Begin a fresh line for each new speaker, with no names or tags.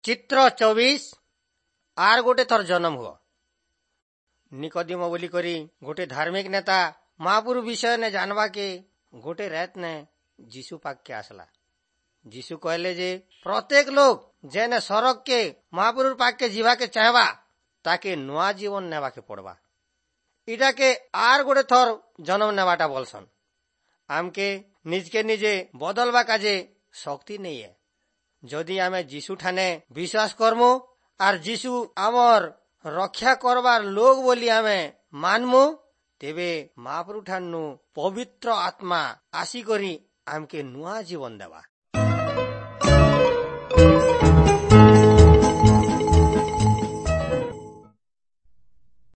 ଚିତ୍ର 24, ଆର୍ ଗୋଟେ ଥର ଜନମ ହୁଅ। ନିକଦିମ ବୋଲି କରି ଗୋଟେ ଧାର୍ମିକ ନେତା ମହାପୁରୁ ବିଷୟ ନେ ଜାନବାକେ ଗୋଟେ ରାତ ନେ ଯୀଶୁ ପାଖକେ ଆସିଲା। ଯୀଶୁ କହିଲେ ଯେ ପ୍ରତ୍ୟେକ ଲୋକ ଯେନେ ସରଗ କେ ମହାପୁରୁର ପାଖକେ ଯିବାକେ ଚାହେବା, ତାକେ ନୂଆ ଜୀବନ ନେବାକେ ପଡବା। ଇଟାକେ ଆର୍ ଗୋଟେ ଥର ଜନ୍ମ ନେବାଟା ବଲସନ୍। ଆମକେ ନିଜକେ ନିଜେ ବଦଲବା କାଜେ ଶକ୍ତି ନେଇ ଏ। ଯଦି ଆମେ ଯୀଶୁ ଠାନେ ବିଶ୍ୱାସ କରମୁ ଆର୍ ଯୀଶୁ ଆମର୍ ରକ୍ଷା କରବାର ଲୋକ ବୋଲି ଆମେ ମାନମୁ, ତେବେ ମହାପ୍ରଭୁ ଠାନୁ ପବିତ୍ର ଆତ୍ମା ଆସିକରି ଆମକେ ନୂଆ ଜୀବନ ଦେବା।